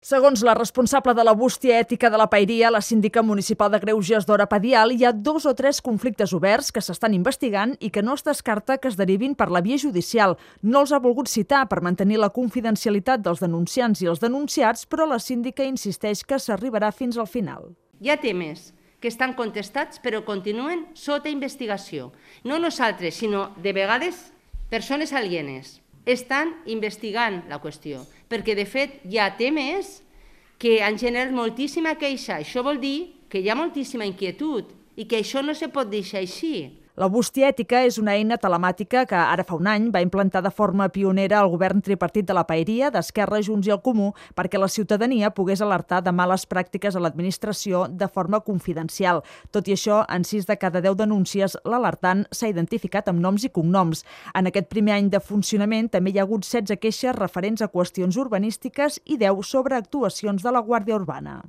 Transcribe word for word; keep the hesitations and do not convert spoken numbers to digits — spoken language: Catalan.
Segons la responsable de la bústia ètica de la Paeria, la síndica municipal de Greuges, Dora Padial, hi ha dos o tres conflictes oberts que s'estan investigant i que no es descarta que es derivin per la via judicial. No els ha volgut citar per mantenir la confidencialitat dels denunciants i els denunciats, però la síndica insisteix que s'arribarà fins al final. Hi ha temes que estan contestats però continuen sota investigació. No nosaltres, sinó de vegades persones alienes estan investigant la qüestió, perquè de fet hi ha temes que han generat moltíssima queixa. Això vol dir que hi ha moltíssima inquietud i que això no se pot deixar així. La bústia ètica és una eina telemàtica que ara fa un any va implantar de forma pionera el govern tripartit de la Paeria, d'Esquerra, Junts i el Comú, perquè la ciutadania pogués alertar de males pràctiques a l'administració de forma confidencial. Tot i això, en sis de cada deu denúncies, l'alertant s'ha identificat amb noms i cognoms. En aquest primer any de funcionament també hi ha hagut setze queixes referents a qüestions urbanístiques i deu sobre actuacions de la Guàrdia Urbana.